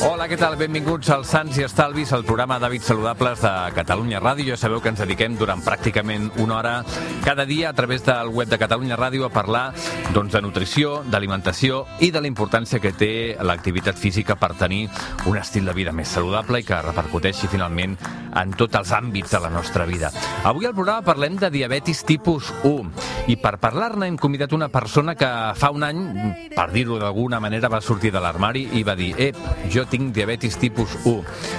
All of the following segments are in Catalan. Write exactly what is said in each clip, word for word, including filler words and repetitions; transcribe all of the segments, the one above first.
Hola, què tal? Benvinguts als Sants i Estalvis, el programa d'hàbits saludables de Catalunya Ràdio. Ja sabeu que ens dediquem durant pràcticament una hora cada dia a través del web de Catalunya Ràdio a parlar doncs, de nutrició, d'alimentació i de la importància que té l'activitat física per tenir un estil de vida més saludable i que repercuteixi finalment en tots els àmbits de la nostra vida. Avui al programa parlem de diabetis tipus u i per parlar-ne hem convidat una persona que fa un any, per dir-ho d'alguna manera, va sortir de l'armari i va dir «Ep, jo tinc diabetis tipus u».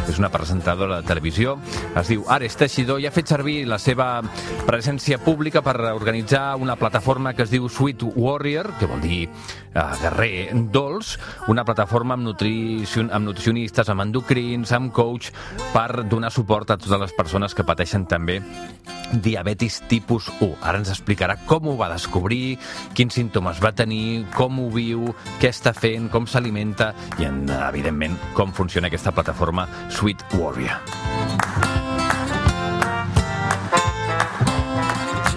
És una presentadora de televisió, es diu Ares Teixidor i ha fet servir la seva presència pública per organitzar una plataforma que es diu Sweet Warrior, que vol dir eh, guerrer dolç, una plataforma amb, nutricion, amb nutricionistes, amb endocrins, amb coach, per donar suport a totes les persones que pateixen també diabetis tipus u. Ara ens explicarà com ho va descobrir, quins símptomes va tenir, com ho viu, què està fent, com s'alimenta i, evidentment, com funciona aquesta plataforma Sweet Warrior.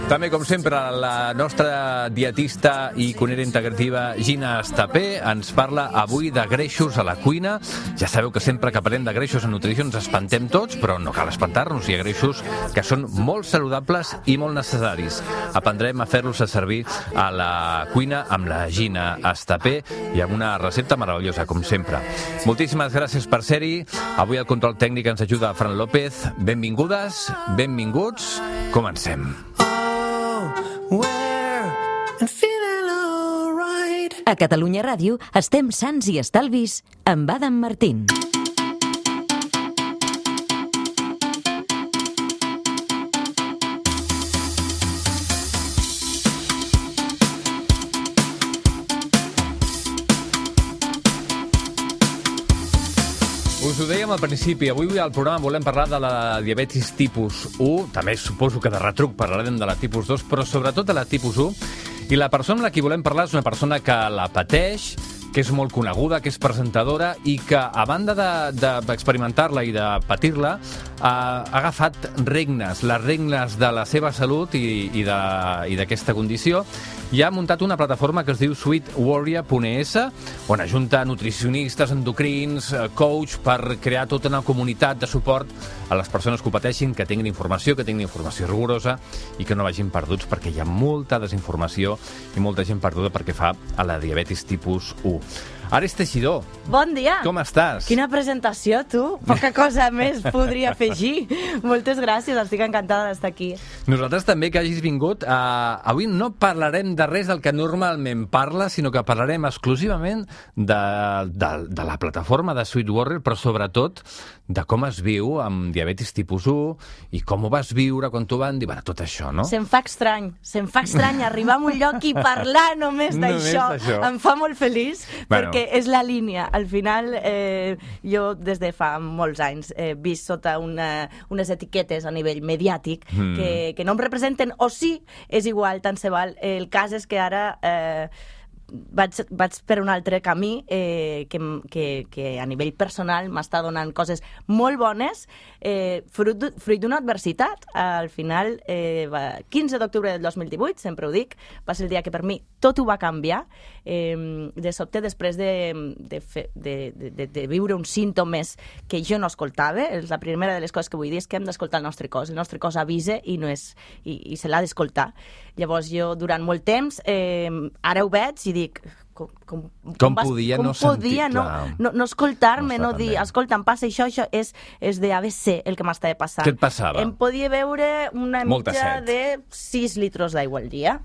També, com sempre, la nostra dietista i cuinera integrativa Gina Estapé ens parla avui de greixos a la cuina. Ja sabeu que sempre que parlem de greixos en nutrició ens espantem tots, però no cal espantar-nos. Hi ha greixos que són molt saludables i molt necessaris. Aprendrem a fer-los a servir a la cuina amb la Gina Estapé i amb una recepta meravellosa, com sempre. Moltíssimes gràcies per ser-hi. Avui al control tècnic ens ajuda Fran López. Benvingudes, benvinguts. Comencem. A Catalunya Ràdio estem sants i estalvis amb Adam Martín. Us ho dèiem al principi, avui al programa volem parlar de la diabetis tipus u, també suposo que de retruc parlarem de la tipus dos, però sobretot de la tipus u, i la persona amb la que volem parlar és una persona que la pateix, que és molt coneguda, que és presentadora i que, a banda d'experimentar-la i de patir-la, ha agafat regnes, les regnes de la seva salut i, i d'aquesta condició, i ha muntat una plataforma que es diu sweet warrior punt e esse, on ajunta nutricionistes, endocrins, coach, per crear tota una comunitat de suport a les persones que ho pateixin, que tinguin informació, que tinguin informació rigorosa i que no vagin perduts, perquè hi ha molta desinformació i molta gent perduda perquè fa a la diabetis tipus u. Ares Teixidor. Bon dia. Com estàs? Quina presentació, tu. Poca cosa més podria afegir. Moltes gràcies, estic encantada d'estar aquí. Nosaltres també que hagis vingut. Uh, avui no parlarem de res del que normalment parla, sinó que parlarem exclusivament de, de, de la plataforma de Sweet Warrior, però sobretot de com es viu amb diabetis tipus u i com ho vas viure quan t'ho van dir, bueno, tot això, no? Se'm fa estrany, se'm fa estrany arribar a un lloc i parlar només d'això. Em fa molt feliç, bueno, perquè és la línia. Al final, eh, jo des de fa molts anys he vist sota una, unes etiquetes a nivell mediàtic mm. que, que no em representen, o sí, és igual, tant se val. El cas és que ara eh, vaig, vaig per un altre camí eh, que, que, que a nivell personal m'està donant coses molt bones, eh, fruit, fruit d'una adversitat. Al final, eh, va, quinze d'octubre del dos mil divuit, sempre ho dic, va ser el dia que per mi tot ho va canviar. Eh, de sobte, després de, de, fe, de, de, de viure uns símptomes que jo no escoltava, és la primera de les coses que vull dir, és que hem d'escoltar el nostre cos. El nostre cos avisa i, no és, i, i se l'ha d'escoltar. Llavors jo, durant molt temps, eh, ara ho veig i dic... Com, com, com, com vas, podia com no podia sentir, no, no, no escoltar-me, no, no dir, bé. Escolta, em passa això, això és, és de A B C el que m'estava passant. Què et passava? Em podia beure una Molta mitja set. de sis litres d'aigua al dia.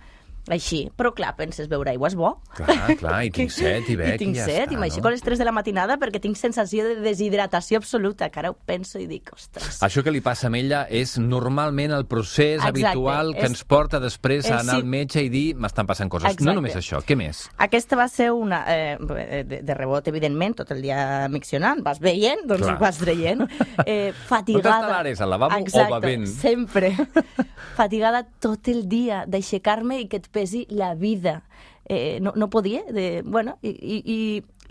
Així, però clar, penses, beure aigua és bo. Clar, clar, i tinc set, i bec, I tinc i ja set, està, i m'aixeco no? a les tres de la matinada perquè tinc sensació de deshidratació absoluta, que ara ho penso i dic, ostres... Això que li passa a ella és normalment el procés Exacte, habitual que és, ens porta després a anar sí. al metge i dir m'estan passant coses. Exacte. No només això, què més? Aquesta va ser una... Eh, de, de rebot, evidentment, tot el dia miccionant, vas veient, doncs clar. ho vas traient. Eh, fatigada... On està l'Ares, al lavabo Exacte, o bevent? Sempre. Fatigada tot el dia d'aixecar-me i que et pesi la vida. Eh, no, no podia, de, bueno, i, i,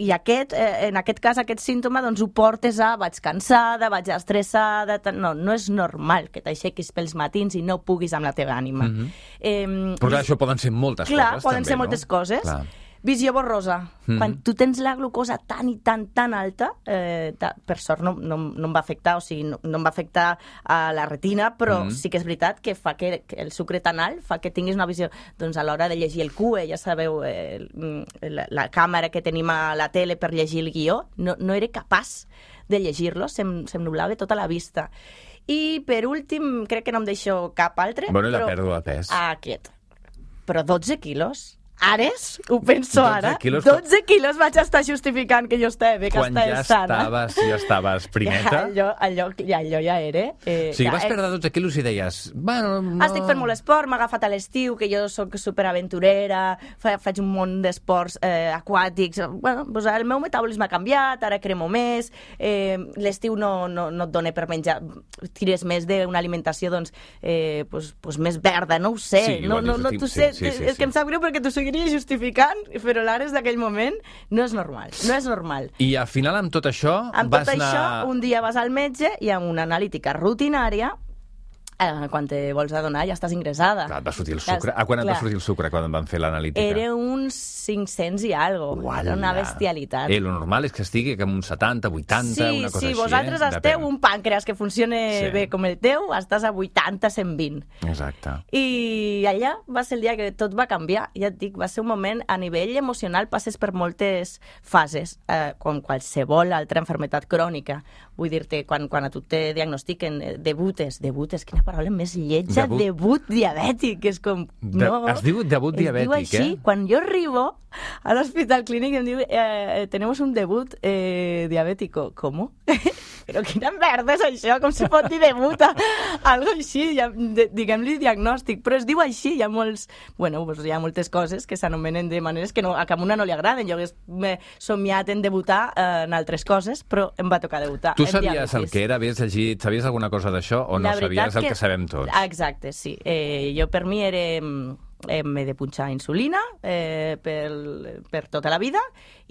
i aquest, eh, en aquest cas, aquest símptoma, doncs ho portes a vaig cansada, vaig estressada, no, no és normal que t'aixequis pels matins i no puguis amb la teva ànima. Mm-hmm. eh, Però clar, això poden ser moltes clar, coses, poden també, ser no? moltes coses. Clar. Visió borrosa. Mm. Quan tu tens la glucosa tan i tan, tan alta, eh, ta, per sort no, no, no em va afectar, o sigui, no, no em va afectar a la retina, però mm. sí que és veritat que fa que, que el sucre tan alt fa que tinguis una visió, doncs a l'hora de llegir el Q E, ja sabeu, eh, la, la càmera que tenim a la tele per llegir el guió, no, no era capaç de llegir-lo, se'm, se'm nublava tota la vista. I per últim, crec que no em deixo cap altre. Bueno, i la pèrdua de pes. Aquest. Però dotze quilos? Ares, ho penso ara, quilos, dotze quilos vaig estar justificant que jo estava bé, que quan estava ja sana. Estaves, ja estaves primeta. Allò, allò, ja, allò ja era. Eh, o sigui, ja, vas perdre dotze quilos i deies... Bueno, no... Estic fent molt esport, m'ha agafat a l'estiu, que jo soc superaventurera, fa, faig un munt d'esports eh, aquàtics. Bueno, doncs el meu metabolisme ha canviat, ara cremo més, eh, l'estiu no, no, no et dona per menjar, tires més d'una alimentació doncs, eh, pues, pues més verda, no ho sé. Sí, no, no, no, tu sí, sé, sí, sí, és sí. que em sap greu perquè t'ho seguiria justificant, però l'Ares d'aquell moment no és normal, no és normal. I al final amb tot això amb vas tot anar... això, un dia vas al metge i amb una analítica rutinària, eh, quan te vols adonar ja estàs ingressada. Clar, et va sortir el sucre. A quan et va sortir el sucre quan em van fer l'analítica? Era uns cinc-cents i algo. Uala. Era una bestialitat. Eh, lo normal és que estigui com uns setanta, vuitanta, sí, una cosa sí, així. Sí, vosaltres eh? esteu Depèn. un pàncreas que funcione Sí. bé com el teu, estàs a vuitanta, cent vint. Exacte. I allà va ser el dia que tot va canviar. Ja et dic, va ser un moment a nivell emocional, passes per moltes fases, eh, com qualsevol altra enfermetat crònica. Vull dir-te, quan, quan a tu te diagnostiquen eh, debutes, debutes, quina paraula més lletja, Debut. debut diabètic, és com... De, no, es diu debut es diabètic, diu així, eh? Quan jo arribo a l'hospital clínic em diu eh, tenemos un debut eh, diabètico. ¿Cómo? Però quina merda és això? Com se pot dir debut a algo així? Ja, de, diguem-li diagnòstic, però es diu així. Hi ha molts, bueno, pues hi ha moltes coses que s'anomenen de maneres que no, a cap una no li agraden. Jo hagués somiat en debutar eh, en altres coses, però em va tocar debutar. Tu sabies el que era? Havies llegit? Sabies alguna cosa d'això o no sabies el que, que sabem tots? Exacte, sí. Eh, jo per mi era... Eh, m'he de punxar insulina eh, per, per tota la vida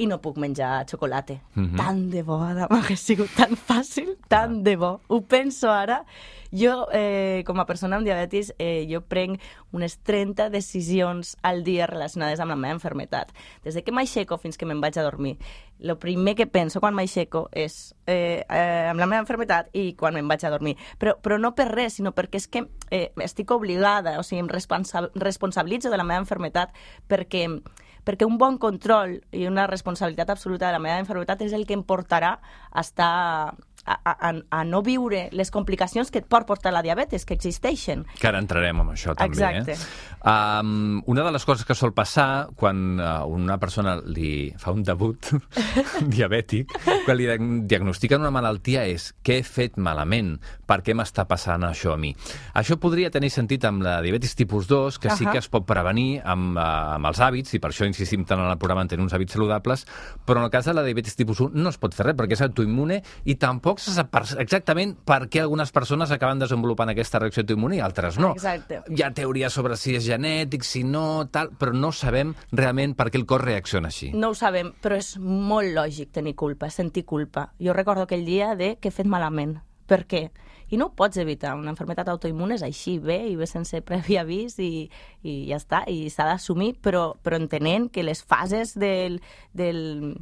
i no puc menjar xocolata. Mm-hmm. Tant de bo, Adam, hauria sigut tan fàcil, tant ah. de bo. Ho penso ara. Jo, eh, com a persona amb diabetis, eh, jo prenc unes trenta decisions al dia relacionades amb la meva enfermetat. Des de que m'aixeco fins que me'n vaig a dormir. El primer que penso quan m'aixeco és eh, eh, amb la meva enfermetat i quan me'n vaig a dormir. Però, però no per res, sinó perquè és que eh, estic obligada, o sigui, em responsa responsabilitzo de la meva enfermetat perquè, perquè un bon control i una responsabilitat absoluta de la meva enfermetat és el que em portarà a estar... A, a, a no viure les complicacions que et pot portar la diabetes, que existeixen. Que ara entrarem amb això també. Exacte. Eh? Um, una de les coses que sol passar quan uh, una persona li fa un debut diabètic, quan li diagnostiquen una malaltia és què he fet malament, per què m'està passant això a mi. Això podria tenir sentit amb la diabetis tipus dos, que sí uh-huh. que es pot prevenir amb, uh, amb els hàbits, i per això insistim tant en el programa en tenir uns hàbits saludables, però en el cas de la diabetis tipus un no es pot fer res perquè és autoimmune i tampoc se sap exactament per què algunes persones acaben desenvolupant aquesta reacció autoimmune i altres no. Exacte. Hi ha teories sobre si és genètic, si no, tal, però no sabem realment per què el cos reacciona així. No ho sabem, però és molt lògic tenir culpa, sentir culpa. Jo recordo aquell dia de que he fet malament. Per què? I no ho pots evitar. Una enfermetat autoimmune és així, bé, i bé sense previ avís i, i ja està, i s'ha d'assumir, però, però entenent que les fases del... del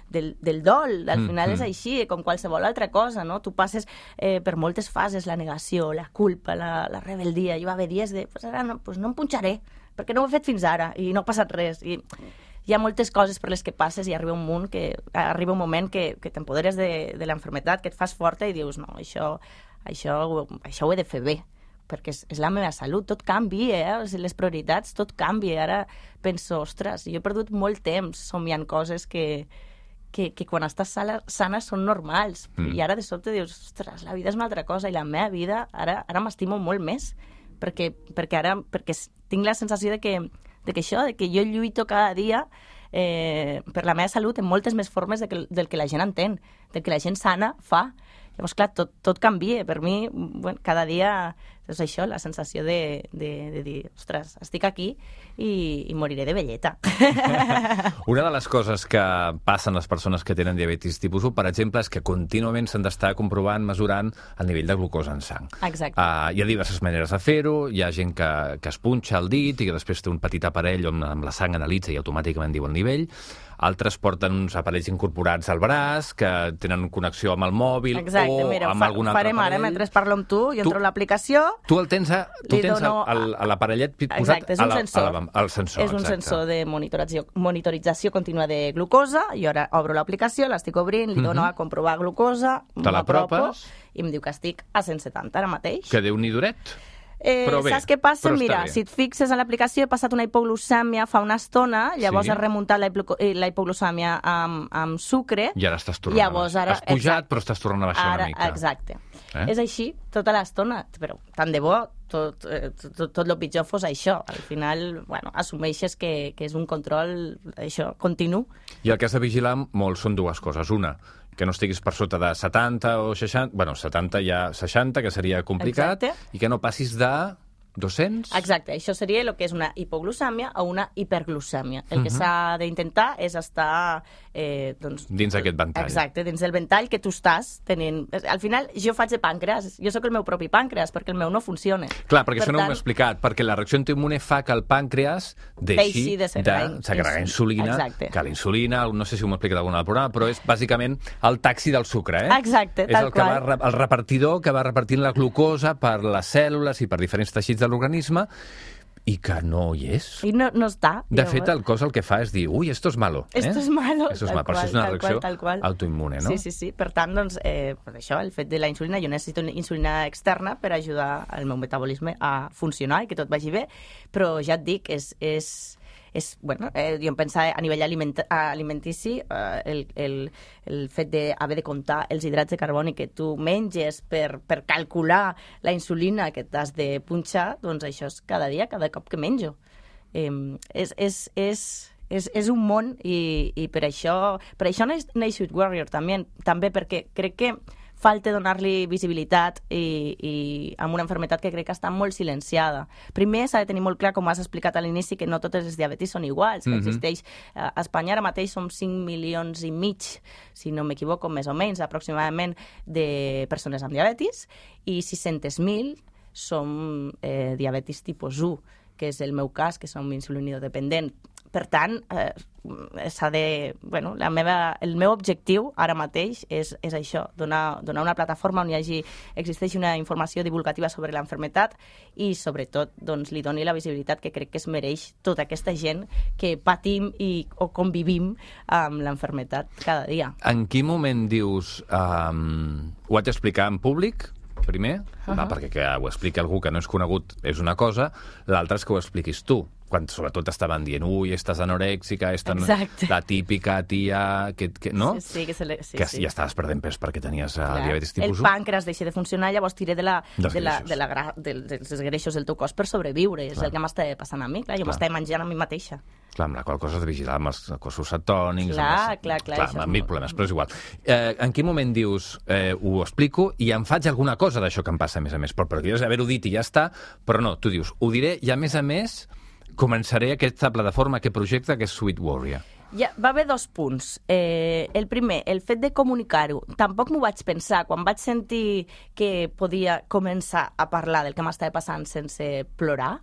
Del, del dol, al final mm, és així, com qualsevol altra cosa, no? Tu passes eh, per moltes fases, la negació, la culpa, la, la rebeldia. Hi va haver dies de, pues ara no, pues no em punxaré, perquè no ho he fet fins ara i no ha passat res. I hi ha moltes coses per les que passes i arriba un munt que, arriba un moment que, que t'empoderes de, de l'enfermetat, que et fas forta i dius, no, això, això, això ho he de fer bé, perquè és, és la meva salut, tot canvia, eh? O sigui, les prioritats, tot canvia. Ara penso, ostres, jo he perdut molt temps somiant coses que Que, que quan estàs sana, sana són normals. Mm. I ara de sobte dius, ostres, la vida és una altra cosa i la meva vida ara, ara m'estimo molt més perquè, perquè ara perquè tinc la sensació de que, de que això, de que jo lluito cada dia eh, per la meva salut en moltes més formes de que, del que la gent entén, del que la gent sana fa. Llavors, clar, tot, tot canvia. Per mi, bueno, cada dia és això, la sensació de, de, de dir, ostres, estic aquí i, i moriré de velleta. Una de les coses que passen les persones que tenen diabetis tipus u, per exemple, és que contínuament s'han d'estar comprovant, mesurant el nivell de glucosa en sang. Exacte. Uh, hi ha diverses maneres de fer-ho, hi ha gent que, que es punxa el dit i que després té un petit aparell on amb la sang analitza i automàticament diu el nivell. Altres porten uns aparells incorporats al braç que tenen connexió amb el mòbil. Exacte, o mira, amb fa, algun altre farem aparell. ara, mentre parlo amb tu, jo tu, entro a l'aplicació... Tu el tens, a, tu tens dono... l'aparellet posat exacte, és un a la, sensor. a la, al sensor. És un exacte. sensor de monitorització, monitorització contínua de glucosa, i ara obro l'aplicació, l'estic obrint, li dono uh -huh. a comprovar glucosa, m'apropo i em diu que estic a cent setanta ara mateix. Que Déu-n'hi duret. Eh, bé, saps què passa? Mira, bé. si et fixes a l'aplicació, he passat una hipoglucèmia fa una estona, llavors sí. he remuntat la, hipo la hipoglucèmia amb, amb sucre. I ara estàs tornant llavors, a baixar. Ara, Has pujat, exacte. però estàs tornant a baixar ara, una mica. Exacte. Eh? És així tota l'estona, però tant de bo tot, tot, tot el pitjor fos això. Al final, bueno, assumeixes que, que és un control, això, continu. I el que has de vigilar molt són dues coses. Una, que no estiguis per sota de setanta o seixanta, bueno, setanta ja seixanta, que seria complicat, exacte. I que no passis de dos-cents? Exacte, això seria el que és una hipoglucèmia o una hiperglucèmia. El uh -huh. que s'ha d'intentar és estar... Eh, doncs, dins d'aquest ventall. Exacte, dins del ventall que tu estàs tenint... Al final, jo faig de pàncreas, jo sóc el meu propi pàncreas, perquè el meu no funciona. Clar, perquè per això no tant... m'ho he explicat, perquè la reacció autoimmune fa que el pàncreas deixi, deixi de segregar insulina, exacte. que la insulina, no sé si m'ho he explicat algun altre programa, però és bàsicament el taxi del sucre, eh? Exacte, és tal el que qual. va, el repartidor que va repartint la glucosa per les cèl·lules i per diferents teixits de l'organisme, i que no hi és. I no, no està. De llavors... fet, el cos el que fa és dir, ui, esto es malo. Eh? Esto es malo. Esto es tal malo. qual, Però això és una tal reacció qual, tal qual. autoimmune, no? Sí, sí, sí. Per tant, doncs, eh, per això, el fet de la insulina, jo necessito insulina externa per ajudar el meu metabolisme a funcionar i que tot vagi bé, però ja et dic, és... és és, bueno, eh, jo em pensava a nivell aliment alimentici eh, el, el, el fet d'haver de comptar els hidrats de carboni que tu menges per, per calcular la insulina que t'has de punxar, doncs això és cada dia, cada cop que menjo. Eh, és, és, és, és, és un món i, i per això per això neix Sweet Warrior també, també perquè crec que falta donar-li visibilitat i, i amb una malaltia que crec que està molt silenciada. Primer s'ha de tenir molt clar, com has explicat a l'inici, que no totes les diabetis són iguals. Mm -hmm. Existeix, a Espanya ara mateix som cinc milions i mig, si no m'equivoco, més o menys, aproximadament, de persones amb diabetis, i sis-cents mil som eh, diabetis tipus u, que és el meu cas, que som insulinodependent. Per tant, eh, s'ha de... Bueno, la meva, el meu objectiu ara mateix és, és això, donar, donar una plataforma on hi hagi, existeixi una informació divulgativa sobre la malaltia i, sobretot, doncs, li doni la visibilitat que crec que es mereix tota aquesta gent que patim i, o convivim amb la malaltia cada dia. En quin moment dius... Um, ho haig d'explicar en públic, primer? Uh -huh. Va, perquè que ho expliqui algú que no és conegut és una cosa, l'altra és que ho expliquis tu. Quan sobretot estaven dient, ui, estàs anorèxica, esta no... la típica tia... Que, que, no? Sí, sí, que, se le... sí, que sí. ja estaves perdent pes perquè tenies uh, diabetis tipus u. El pàncreas deixa de funcionar, llavors tiré de la, dels de la, de la gra... de, dels greixos del teu cos per sobreviure. Clar. És el que m'estava passant a mi. Clar, jo m'estava menjant a mi mateixa. Clar, amb la qual cosa has de vigilar amb els cossos cetònics... Clar, els... clar, clar. Clar, amb mil problemes, però és igual. Eh, en quin moment dius, eh, ho explico i em faig alguna cosa d'això que em passa, a més a més? Però podries haver-ho dit i ja està, però no, tu dius, ho diré i a més a més començaré aquesta plataforma, aquest projecte, que és Sweet Warrior. Ja, va haver dos punts. Eh, el primer, el fet de comunicar-ho. Tampoc m'ho vaig pensar. Quan vaig sentir que podia començar a parlar del que m'estava passant sense plorar,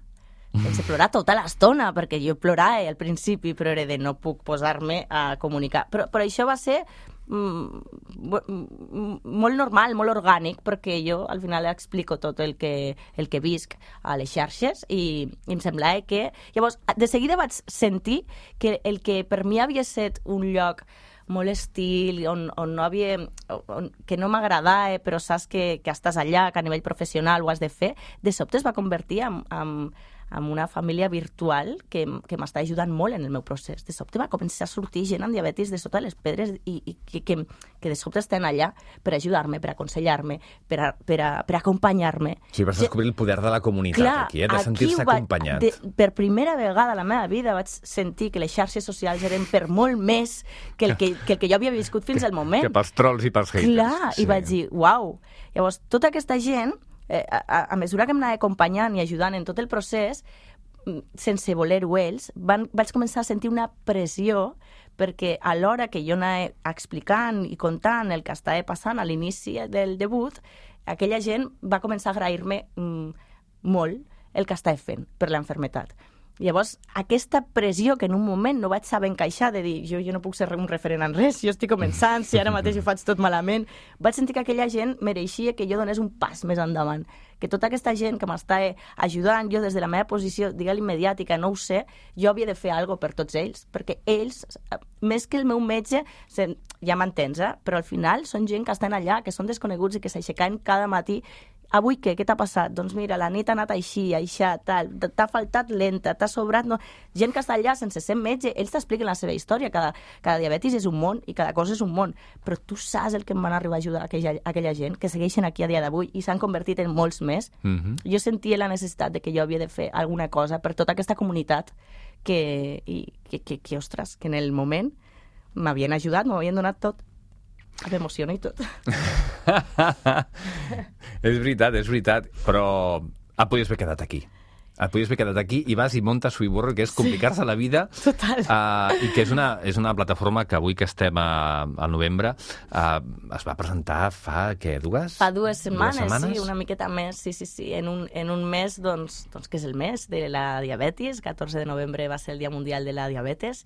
sense plorar tota l'estona, perquè jo plorava al principi, però era de no puc posar-me a comunicar. Però, però això va ser mm, molt normal, molt orgànic, perquè jo al final explico tot el que, el que visc a les xarxes i, i em semblava que... Llavors, de seguida vaig sentir que el que per mi havia estat un lloc molt estil, on, on no havia, on, que no m'agradava, però saps que, que estàs allà, que a nivell professional ho has de fer, de sobte es va convertir en, en, en una família virtual que, que m'està ajudant molt en el meu procés. De sobte va començar a sortir gent amb diabetis de sota les pedres i, i que, que, que de sobte estan allà per ajudar-me, per aconsellar-me, per, a, per, a, per acompanyar-me. Sí, vas descobrir el poder de la comunitat, clar, aquí, eh? De sentir-se acompanyat. De, per primera vegada a la meva vida vaig sentir que les xarxes socials eren per molt més que el que, que, el que jo havia viscut fins al moment. Que pels trolls i pels haters. Clar, sí. I vaig dir, uau. Llavors, tota aquesta gent eh, a, a mesura que m'anava acompanyant i ajudant en tot el procés, sense voler-ho ells, van, vaig començar a sentir una pressió perquè a l'hora que jo anava explicant i contant el que estava passant a l'inici del debut, aquella gent va començar a agrair-me mm, molt el que estava fent per l'enfermetat. Llavors, aquesta pressió que en un moment no vaig saber encaixar de dir jo, jo no puc ser un referent en res, jo estic començant, si ara mateix ho faig tot malament, vaig sentir que aquella gent mereixia que jo donés un pas més endavant, que tota aquesta gent que m'estava ajudant, jo des de la meva posició, digue-li mediàtica, no ho sé, jo havia de fer alguna cosa per tots ells, perquè ells, més que el meu metge, ja m'entens, eh? Però al final són gent que estan allà, que són desconeguts i que s'aixecaven cada matí. Avui què? Què t'ha passat? Doncs mira, la nit ha anat així, aixà, tal, t'ha faltat lenta, t'ha sobrat... No. Gent que està allà sense ser metge, ells t'expliquen la seva història, cada, cada diabetis és un món i cada cosa és un món, però tu saps el que em van arribar a ajudar aquella, aquella gent, que segueixen aquí a dia d'avui i s'han convertit en molts més. Mm-hmm. Jo sentia la necessitat de que jo havia de fer alguna cosa per tota aquesta comunitat que, i, que, que, que ostres, que en el moment m'havien ajudat, m'havien donat tot. M'emociona i tot. És veritat, és veritat, però et podies haver quedat aquí. Et podies haver quedat aquí i vas i montes Suiburro, que és complicar-se sí, la vida. Total. Uh, I que és una, és una plataforma que avui que estem a, al novembre uh, es va presentar fa, què, dues? Fa dues setmanes, dues setmanes? Sí, una miqueta més, sí, sí, sí. En un, en un mes, doncs, doncs, que és el mes de la diabetis, catorze de novembre va ser el Dia Mundial de la Diabetes,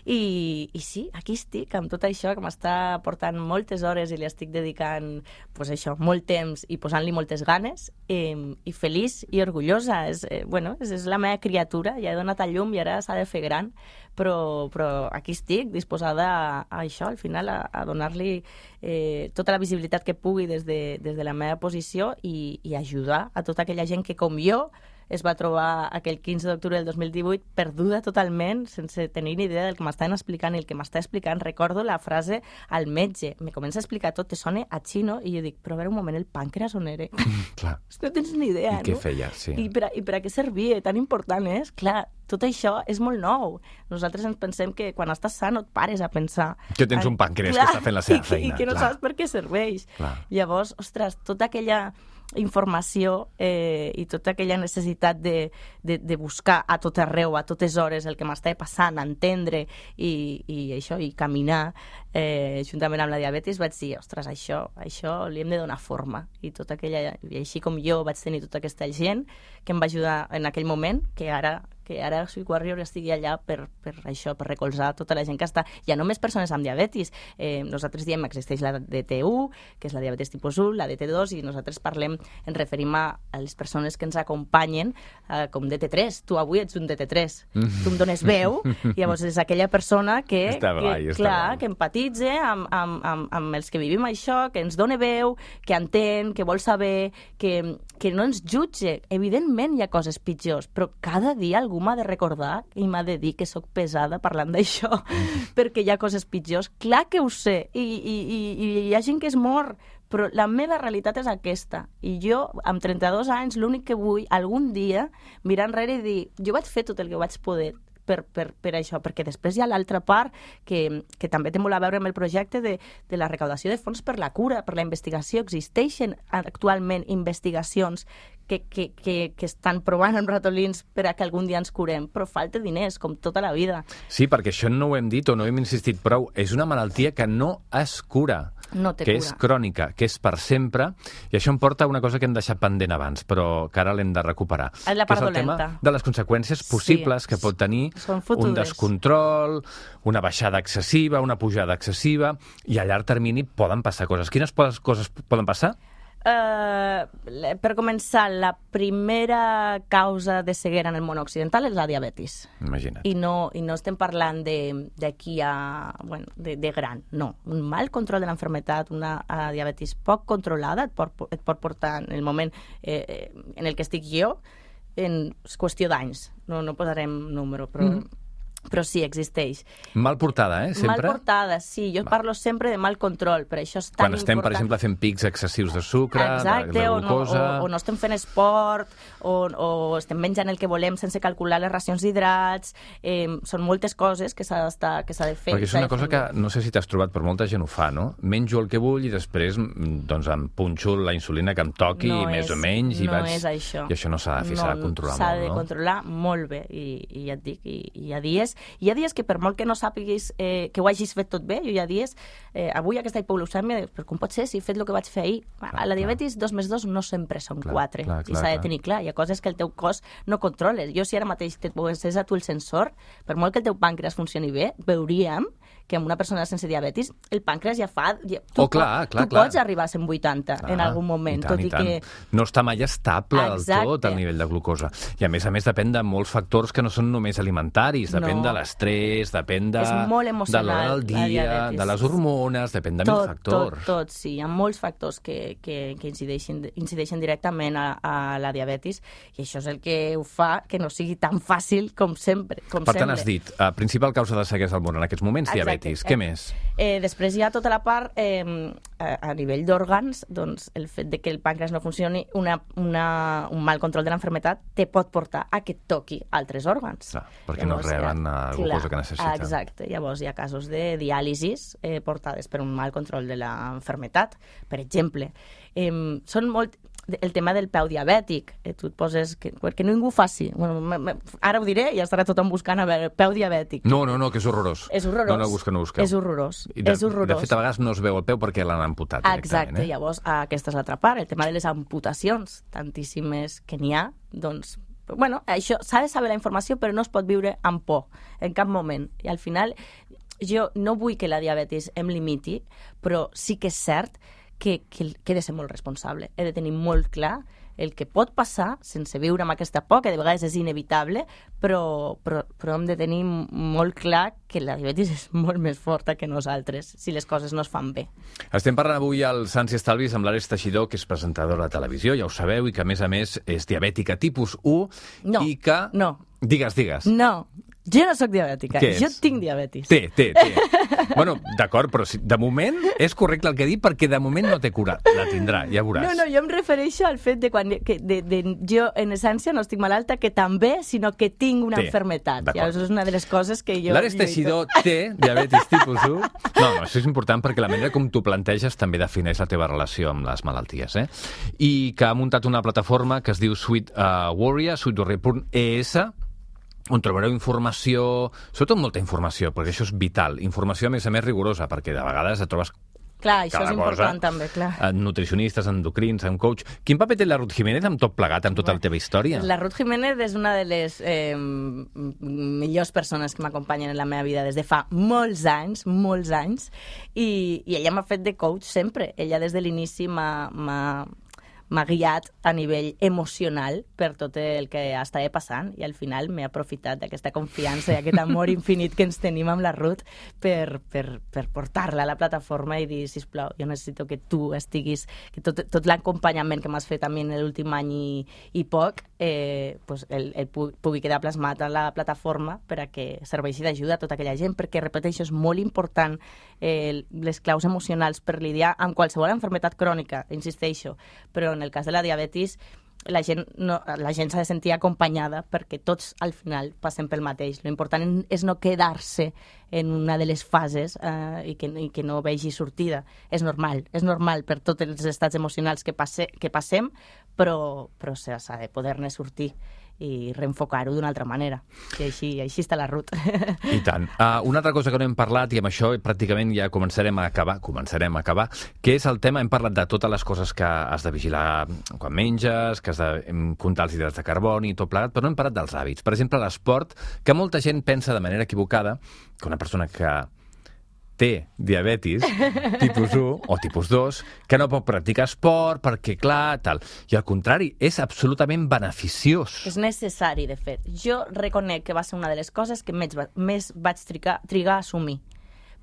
I, i sí, aquí estic, amb tot això que m'està portant moltes hores i li estic dedicant, pues això, molt temps i posant-li moltes ganes, i, i feliç i orgullosa. És, eh, bueno, és, és la meva criatura, ja he donat a llum i ara s'ha de fer gran, però, però aquí estic, disposada a, a això, al final, a, a donar-li eh, tota la visibilitat que pugui des de, des de la meva posició i, i ajudar a tota aquella gent que, com jo, es va trobar aquell quinze d'octubre del dos mil divuit perduda totalment, sense tenir ni idea del que m'estaven explicant, i el que m'està explicant, recordo la frase al metge, me comença a explicar tot, te sona a xino, i jo dic, però a veure un moment, el pàncreas on era? Mm, clar. No tens ni idea, I no? què feia, sí. I per, a, I per a què servia? Tan important és? Clar, tot això és molt nou. Nosaltres ens pensem que quan estàs sa no et pares a pensar... Que tens un pàncreas que està fent la seva i, feina. I que no clar. saps per què serveix. Clar. Llavors, ostres, tota aquella informació eh, i tota aquella necessitat de, de, de buscar a tot arreu, a totes hores, el que m'estava passant, entendre i, i això, i caminar eh, juntament amb la diabetis, vaig dir, ostres, això, això li hem de donar forma. I tota aquella, i així com jo vaig tenir tota aquesta gent que em va ajudar en aquell moment, que ara que ara Sweet Warrior estigui allà per, per això, per recolzar tota la gent que està, ja no només persones amb diabetis, eh, nosaltres diem existeix la D T u, que és la diabetes tipus u, la D T dos, i nosaltres parlem, ens referim a, a les persones que ens acompanyen eh, com D T tres, tu avui ets un D T tres, tu em dones veu, i llavors és aquella persona que, està que, blai, clar, que empatitza amb, amb, amb, amb els que vivim això, que ens dona veu, que entén, que vol saber, que, que no ens jutge. Evidentment hi ha coses pitjors, però cada dia algú m'ha de recordar i m'ha de dir que sóc pesada parlant d'això, perquè hi ha coses pitjors. Clar que ho sé, i, i, i, i hi ha gent que es mor, però la meva realitat és aquesta. I jo, amb trenta-dos anys, l'únic que vull, algun dia, mirar enrere i dir, jo vaig fer tot el que vaig poder per, per, per això, perquè després hi ha l'altra part que, que també té molt a veure amb el projecte de, de la recaudació de fons per la cura, per la investigació. Existeixen actualment investigacions que, que, que, que estan provant amb ratolins per a que algun dia ens curem, però falta diners, com tota la vida. Sí, perquè això no ho hem dit o no hem insistit prou. És una malaltia que no es cura. No té que cura. És crònica, que és per sempre, i això em porta a una cosa que hem deixat pendent abans, però que ara l'hem de recuperar. És la part que és el dolenta. tema de les conseqüències possibles sí, que pot tenir un descontrol, una baixada excessiva, una pujada excessiva, i a llarg termini poden passar coses. Quines coses poden passar? Uh, per començar, la primera causa de ceguera en el món occidental és la diabetis. Imagina't. I no, i no estem parlant d'aquí a... Bueno, de, de gran, no. Un mal control de l'enfermetat, una uh, diabetis poc controlada et pot, et pot portar en el moment eh, en el que estic jo en qüestió d'anys. No, no posarem número, però... Mm. però sí, existeix. Mal portada, eh, sempre? Mal portada, sí. Jo Va. parlo sempre de mal control, per això és tan Quan estem, important. per exemple, fent pics excessius de sucre, Exacte, de, de o glucosa... no, o, o no estem fent esport, o, o estem menjant el que volem sense calcular les racions d'hidrats. Eh, són moltes coses que s'ha que s'ha de fer. Perquè és una cosa que, no sé si t'has trobat, però molta gent ho fa, no? Menjo el que vull i després doncs, em punxo la insulina que em toqui, no més és, o menys, i no vaig... és això. I això no s'ha de fer, s'ha de controlar molt, no? S'ha de no? controlar molt bé, i, i ja et dic, i, i hi ha dies, hi ha dies que per molt que no sàpiguis eh, que ho hagis fet tot bé, jo hi ha dies, eh, avui aquesta hipoglucèmia, però com pot ser si he fet el que vaig fer ahir? Clar, a la diabetis, clar. dos més dos no sempre són clar, quatre, clar, clar, i s'ha de tenir clar, hi ha coses que el teu cos no controles. Jo si ara mateix et posés a tu el sensor, per molt que el teu pàncreas funcioni bé, veuríem que en una persona sense diabetis el pàncreas ja fa... Ja, tu oh, clar, clar, tu clar. pots arribar a cent vuitanta clar, en algun moment, tant, tot i, i que... No està mai estable Exacte. del tot el nivell de glucosa. I a més a més depèn de molts factors que no són només alimentaris, depèn no. de l'estrès, depèn de, és molt de l'hora del dia, de les hormones, depèn de tot, mil factors. Tot, tot, sí. Hi ha molts factors que, que, que incideixen, incideixen directament a, a la diabetis, i això és el que ho fa que no sigui tan fàcil com sempre. Com per tant, sempre. has dit, uh, principal causa de ceguesa al món en aquests moments, Exacte. diabetis. Què més? Eh, després hi ha tota la part, eh, a, a nivell d'òrgans, doncs el fet de que el pàncreas no funcioni, una, una, un mal control de l'enfermetat te pot portar a que et toqui altres òrgans. Clar, perquè llavors, no reben la glucosa que necessiten. Exacte, llavors hi ha casos de diàlisis eh, portades per un mal control de l'enfermetat, per exemple. Eh, són molt... El tema del peu diabètic, eh, tu et poses... Que, que ningú ho faci. Bueno, me, me, ara ho diré i ja estarà tothom buscant a veure, peu diabètic. No, no, no, que és horrorós. És horrorós. No, no, busca, no busqueu. És horrorós. I de, és horrorós. De fet, a vegades no es veu el peu perquè l'han amputat directament. Exacte, eh? llavors aquesta és l'altra part, el tema de les amputacions, tantíssimes que n'hi ha, doncs... Bueno, això s'ha de saber la informació, però no es pot viure amb por, en cap moment. I al final, jo no vull que la diabetis em limiti, però sí que és cert que, que, que he de ser molt responsable. He de tenir molt clar el que pot passar sense viure amb aquesta por, que de vegades és inevitable, però, però, però hem de tenir molt clar que la diabetis és molt més forta que nosaltres, si les coses no es fan bé. Estem parlant avui al Sants i Estalvis amb l'Ares Teixidor, que és presentadora de televisió, ja ho sabeu, i que a més a més és diabètica tipus u, no, i que... No, Digues, digues. No, jo no sóc diabètica, Què jo és? tinc diabetis. Té, té, té. Bueno, d'acord, però si, de moment és correcte el que dic perquè de moment no té cura. La tindrà, ja veuràs. No, no, jo em refereixo al fet de quan que de, de, jo, en essència, no estic malalta, que també, sinó que tinc una té. enfermetat. Ja, això és una de les coses que jo... L'Ares Teixidor té diabetis tipus u. No, no, això és important perquè la manera com tu planteges també defineix la teva relació amb les malalties, eh? I que ha muntat una plataforma que es diu Sweet uh, Warrior, sweet warrior punt e essa, on trobareu informació, sobretot molta informació, perquè això és vital. Informació, a més a més, rigorosa, perquè de vegades et trobes Clar, això cada és important cosa, també, clar. En nutricionistes, endocrins, en coach. Quin paper té la Ruth Jiménez amb tot plegat, amb tota la teva història? La Ruth Jiménez és una de les eh, millors persones que m'acompanyen en la meva vida des de fa molts anys, molts anys, i, i ella m'ha fet de coach sempre. Ella des de l'inici m'ha... m'ha guiat a nivell emocional per tot el que estava passant, i al final m'he aprofitat d'aquesta confiança i aquest amor infinit que ens tenim amb la Ruth per, per, per portar-la a la plataforma i dir, sisplau, jo necessito que tu estiguis, que tot, tot l'acompanyament que m'has fet a mi en l'últim any i, i poc, eh, pues el, el pugui quedar plasmat a la plataforma per a que serveixi d'ajuda a tota aquella gent, perquè, repeteixo, és molt important eh, les claus emocionals per lidiar amb qualsevol enfermetat crònica, insisteixo, però en el cas de la diabetis la gent, no, la gent s'ha de sentir acompanyada perquè tots al final passem pel mateix. Lo important és no quedar-se en una de les fases eh, i, que, i que no vegi sortida. És normal, és normal per tots els estats emocionals que, passe, que passem, però, però s'ha de poder-ne sortir i reenfocar-ho d'una altra manera. I així, així està la Ruth. I tant. Uh, una altra cosa que no hem parlat, i amb això pràcticament ja començarem a acabar, començarem a acabar, que és el tema, hem parlat de totes les coses que has de vigilar quan menges, que has de comptar els hidrats de carboni i tot plegat, però no hem parlat dels hàbits. Per exemple, l'esport, que molta gent pensa de manera equivocada que una persona que té diabetis tipus u o tipus dos, que no pot practicar esport perquè, clar, tal. I al contrari, és absolutament beneficiós. És necessari, de fet. Jo reconec que va ser una de les coses que més, més vaig trigar, trigar a assumir.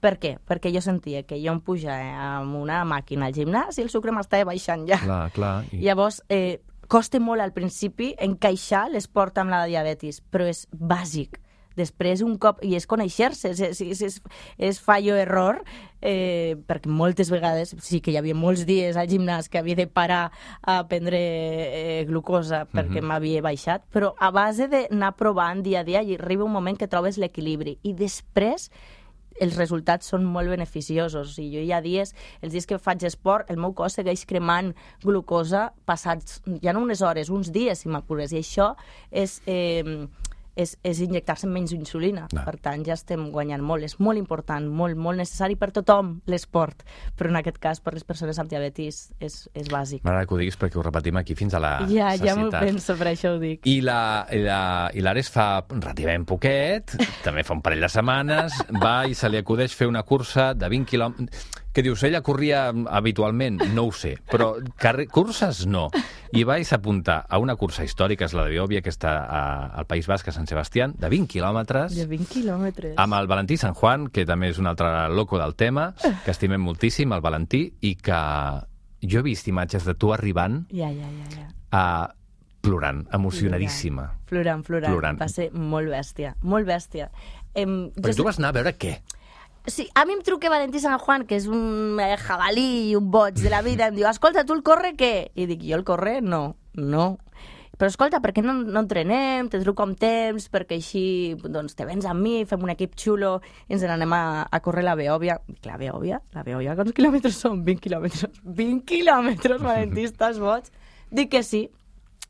Per què? Perquè jo sentia que jo em pujava amb una màquina al gimnàs i el sucre m'estava baixant ja. Clar, clar. I... Llavors, eh, costa molt al principi encaixar l'esport amb la diabetis, però és bàsic. Després, un cop... I és conèixer-se, és, és, és, és fallo-error, eh, perquè moltes vegades sí que hi havia molts dies al gimnàs que havia de parar a prendre eh, glucosa perquè mm-hmm. m'havia baixat, però a base d'anar provant dia a dia i arriba un moment que trobes l'equilibri. I després els resultats són molt beneficiosos. I jo hi ha dies, els dies que faig esport, el meu cos segueix cremant glucosa passats, ja no unes hores, uns dies, si m'apures. I això és... Eh, és, és injectar-se menys insulina. No. Per tant, ja estem guanyant molt. És molt important, molt, molt necessari per tothom l'esport, però en aquest cas per les persones amb diabetis és, és bàsic. M'agrada que ho diguis perquè ho repetim aquí fins a la ja, sacietat. Ja m'ho penso, per això ho dic. I l'Ares fa relativament poquet, també fa un parell de setmanes, va i se li acudeix fer una cursa de vint quilòmetres... Que dius, ella corria habitualment? No ho sé, però curses no. I va i s'apuntar a una cursa històrica, és la de Biòvia, que està a, al País Basc, a Sant Sebastián, de vint quilòmetres. De vint quilòmetres. Amb el Valentí San Juan, que també és un altre loco del tema, que estimem moltíssim, el Valentí, i que jo he vist imatges de tu arribant ja, ja, ja, ja. a plorant, emocionadíssima. Plorant, plorant. plorant. Va ser molt bèstia, molt bèstia. Em, Perquè tu vas anar a veure què? Sí, a mi em truca Valentí San Juan, que és un jabalí i un boig de la vida, em diu, escolta, tu el corre què? I dic, jo el corre? No, no. Però escolta, per què no, no entrenem? Te truco amb temps, perquè així doncs, te vens amb mi, fem un equip xulo i ens n'anem a, a córrer la Beòvia. La Beòvia? La Beòvia, quants quilòmetres són? vint quilòmetres. vint quilòmetres, Valentí, estàs boig? Dic que sí.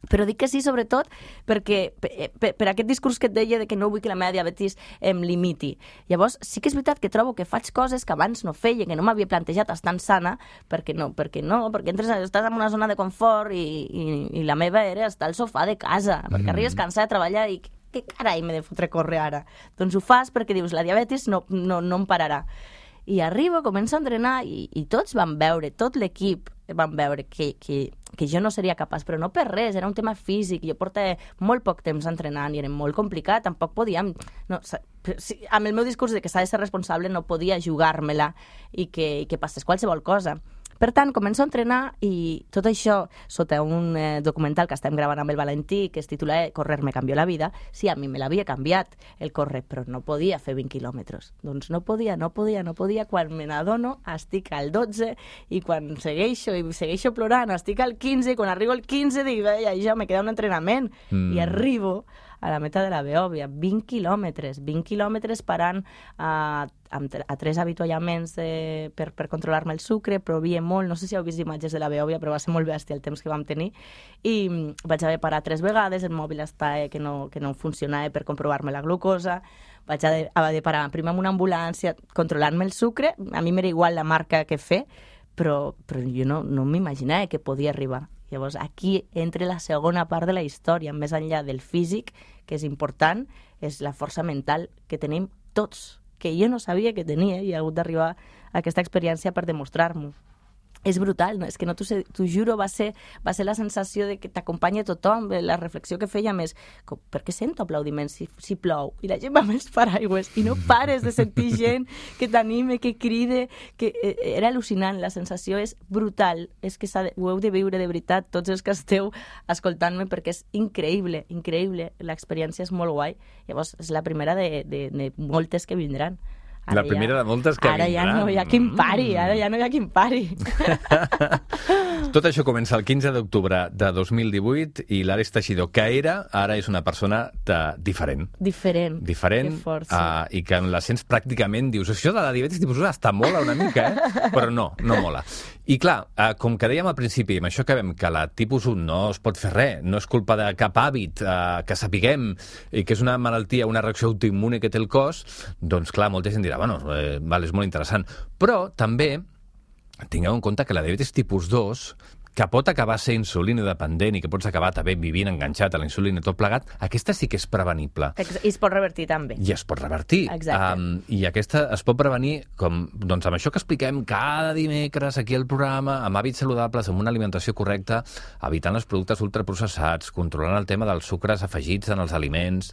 Però dic que sí, sobretot, perquè per, per, per aquest discurs que et deia de que no vull que la meva diabetis em limiti. Llavors, sí que és veritat que trobo que faig coses que abans no feia, que no m'havia plantejat estant sana, perquè no, perquè no, perquè entres, estàs en una zona de confort i, i, i la meva era estar al sofà de casa, perquè mm. arribes cansada de treballar i què carai m'he de fotre a córrer ara? Doncs ho fas perquè dius, la diabetis no, no, no em pararà. I arribo, començo a entrenar i, i tots van veure, tot l'equip van veure que, que, que jo no seria capaç, però no per res, era un tema físic, jo portava molt poc temps entrenant i era molt complicat, tampoc podíem... No, si, amb el meu discurs de que s'ha de ser responsable no podia jugar-me-la i que, i que passés qualsevol cosa. Per tant, començo a entrenar i tot això, sota un eh, documental que estem gravant amb el Valentí, que es titula Correr me cambió la vida, sí, a mi me l'havia canviat el córrer, però no podia fer vint quilòmetres. Doncs no podia, no podia, no podia. Quan me n'adono, estic al dotze, i quan segueixo i segueixo plorant, estic al quinze, i quan arribo al quinze dic, ja, ja me queda un entrenament. Mm. I arribo a la meta de la Beòvia, vint quilòmetres, vint quilòmetres parant a, a, a tres avituallaments de, per, per controlar-me el sucre, provia molt, no sé si heu vist imatges de la Beòvia, però va ser molt bèstia el temps que vam tenir, i vaig haver de parar tres vegades, el mòbil estava que no, que no funcionava per comprovar-me la glucosa, vaig haver de parar primer amb una ambulància controlant-me el sucre, a mi m'era igual la marca que fer, però, però jo no, no m'imaginava que podia arribar. Llavors, aquí entra la segona part de la història, més enllà del físic, que és important, és la força mental que tenim tots, que jo no sabia que tenia i he hagut d'arribar a aquesta experiència per demostrar-m'ho. És brutal, no? És que no t'ho juro, va ser, va ser la sensació de que t'acompanya tothom, la reflexió que fèiem és com, per què sento aplaudiments si, si plou? I la gent va amb els paraigües i no pares de sentir gent que t'anime, que cride, que eh, era al·lucinant, la sensació és brutal, és que de, ho heu de viure de veritat, tots els que esteu escoltant-me, perquè és increïble, increïble, l'experiència és molt guai, llavors és la primera de, de, de moltes que vindran. Ara la primera ja, de moltes que ara vindran. Ara ja no hi ha quin pari, ara ja no hi ha quin pari. Tot això comença el quinze d'octubre de dos mil divuit i l'Ares Teixidor, que era, ara és una persona de, diferent. Diferent. Diferent. Que força. Uh, I que la sents pràcticament, dius, això de la diabetis tipus un està mola una mica, eh? Però no, no mola. I clar, uh, com que dèiem al principi, amb això que vam, que la tipus un no es pot fer res, no és culpa de cap hàbit uh, que sapiguem, i que és una malaltia, una reacció autoimmune que té el cos, doncs clar, molta gent dirà, bueno, eh, val, és molt interessant. Però també tingueu en compte que la diabetis tipus dos, que pot acabar sent insulina dependent i que pots acabar també vivint enganxat a la insulina i tot plegat, aquesta sí que és prevenible. I es pot revertir també. I es pot revertir. Exacte. Um, I aquesta es pot prevenir com, doncs amb això que expliquem cada dimecres aquí al programa, amb hàbits saludables, amb una alimentació correcta, evitant els productes ultraprocessats, controlant el tema dels sucres afegits en els aliments,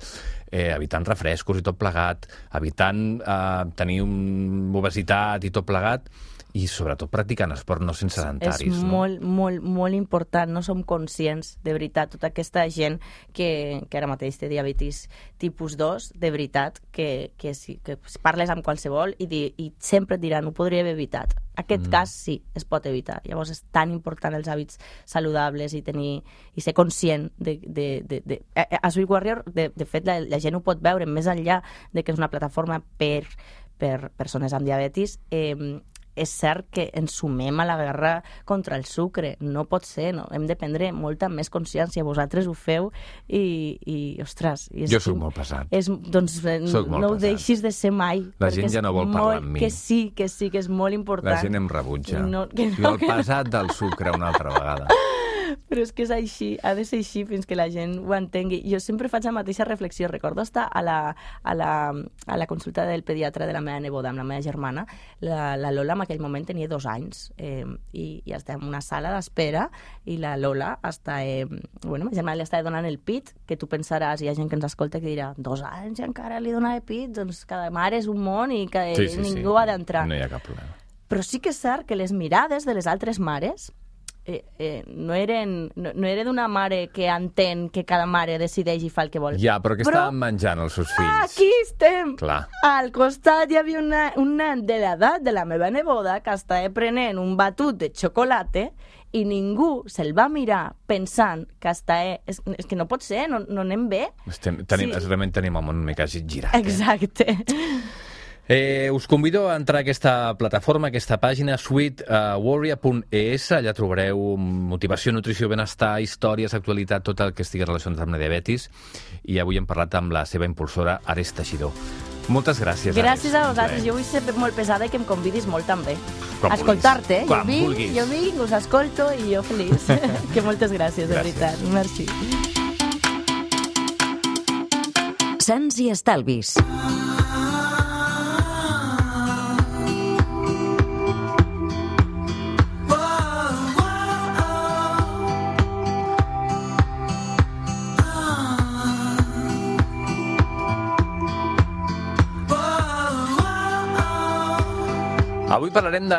eh, evitant refrescos i tot plegat, evitant eh, tenir un obesitat i tot plegat, i sobretot practicant esport, no sense sedentaris. És no? molt, molt, molt important. No som conscients, de veritat, tota aquesta gent que, que ara mateix té diabetis tipus dos, de veritat, que, que, sí, que parles amb qualsevol i, di, i sempre et diran, ho podria haver evitat. Aquest mm. cas sí, es pot evitar. Llavors és tan important els hàbits saludables i tenir i ser conscient de... de, de, de... A Sweet Warrior, de, de fet, la, la gent ho pot veure més enllà de que és una plataforma per, per persones amb diabetis. Eh, és cert que ens sumem a la guerra contra el sucre. No pot ser, no? Hem de prendre molta més consciència. Vosaltres ho feu i, i ostres... I és, jo soc molt pesat. És, doncs soc no ho deixis de ser mai. La gent ja no vol molt, parlar amb mi. Que sí, que sí, que és molt important. La gent em rebutja. No, que no, jo el que pesat no. del sucre una altra vegada. Però és que és així, ha de ser així fins que la gent ho entengui. Jo sempre faig la mateixa reflexió. Recordo estar a la, a la, a la consulta del pediatre de la meva neboda amb la meva germana. La, la Lola en aquell moment tenia dos anys eh, i, i està en una sala d'espera i la Lola està... Eh, bueno, ma germana li està donant el pit, que tu pensaràs, hi ha gent que ens escolta que dirà dos anys i encara li dona el pit, doncs cada mare és un món i que sí, sí, ningú sí. ha d'entrar. No hi ha cap problema. Però sí que és cert que les mirades de les altres mares Eh, eh, no eren no, no era d'una mare que entén que cada mare decideix i fa el que vol. Ja, però que però... estaven menjant els seus fills. Aquí estem! Clar. Al costat hi havia una, un nen de l'edat de la meva neboda que estava prenent un batut de xocolata i ningú se'l va mirar pensant que estava... És, és que no pot ser, no, no anem bé. Estem, tenim, sí. Realment tenim el món una mica girat. Exacte. Eh? Eh, us convido a entrar a aquesta plataforma, a aquesta pàgina, sweet warrior punt e s. Allà trobareu motivació, nutrició, benestar, històries, actualitat, tot el que estigui relacionat amb la diabetis. I avui hem parlat amb la seva impulsora, Ares Teixidor. Moltes gràcies. Gràcies Ares. a vosaltres. Jo vull ser molt pesada i que em convidis molt també. Quan escoltar-te. Quan jo vinc, vulguis. jo vinc, us escolto i jo feliç. Que moltes gràcies, de gràcies. veritat. Merci. Sants i estalvis. Avui parlarem de,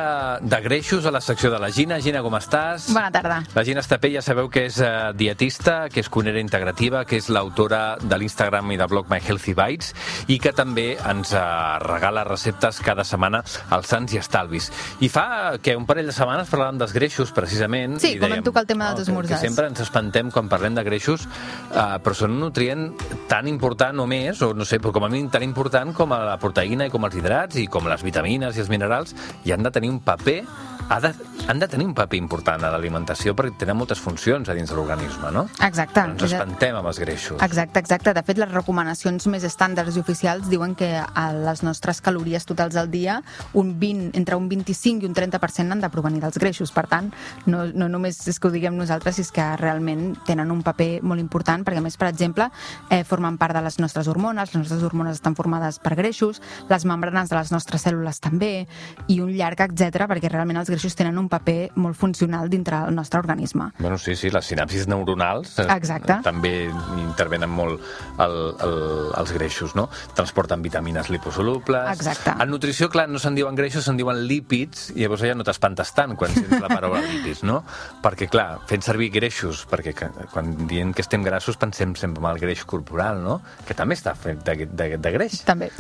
de greixos a la secció de la Gina. Gina, com estàs? Bona tarda. La Gina Estapé, ja sabeu que és uh, dietista, que és cuinera integrativa, que és l'autora de l'Instagram i de blog My Healthy Bites i que també ens uh, regala receptes cada setmana als Sants i Estalvis. I fa que un parell de setmanes parlàvem dels greixos, precisament. Sí, i com dèiem, hem tocat el tema oh, dels esmorzars. Que, que sempre ens espantem quan parlem de greixos, uh, però són un nutrient tan important o més, o no sé, però com a mínim tan important com la proteïna i com els hidrats i com les vitamines i els minerals, i han de tenir un paper ha de, han de tenir un paper important a l'alimentació perquè tenen moltes funcions a dins de l'organisme, no? Exacte. Ens espantem amb els greixos. Exacte, exacte. De fet, les recomanacions més estàndards i oficials diuen que a les nostres calories totals al dia un vint, entre un vint-i-cinc i un trenta per cent han de provenir dels greixos. Per tant, no, no només és que ho diguem nosaltres, és que realment tenen un paper molt important, perquè a més, per exemple, eh, formen part de les nostres hormones, les nostres hormones estan formades per greixos, les membranes de les nostres cèl·lules també, i un llarg etcètera, perquè realment els greixos tenen un paper molt funcional dintre el nostre organisme. Bueno, sí, sí, les sinapsis neuronals Exacte. també intervenen molt el, el, els greixos, no? Transporten vitamines liposolubles. Exacte. En nutrició, clar, no se'n diuen greixos, se'n diuen lípids, i llavors ja no t'espantes tant quan sents la paraula lípids, no? Perquè, clar, fent servir greixos, perquè quan diem que estem grassos pensem sempre en el greix corporal, no? Que també està fet de, de, de greix. També.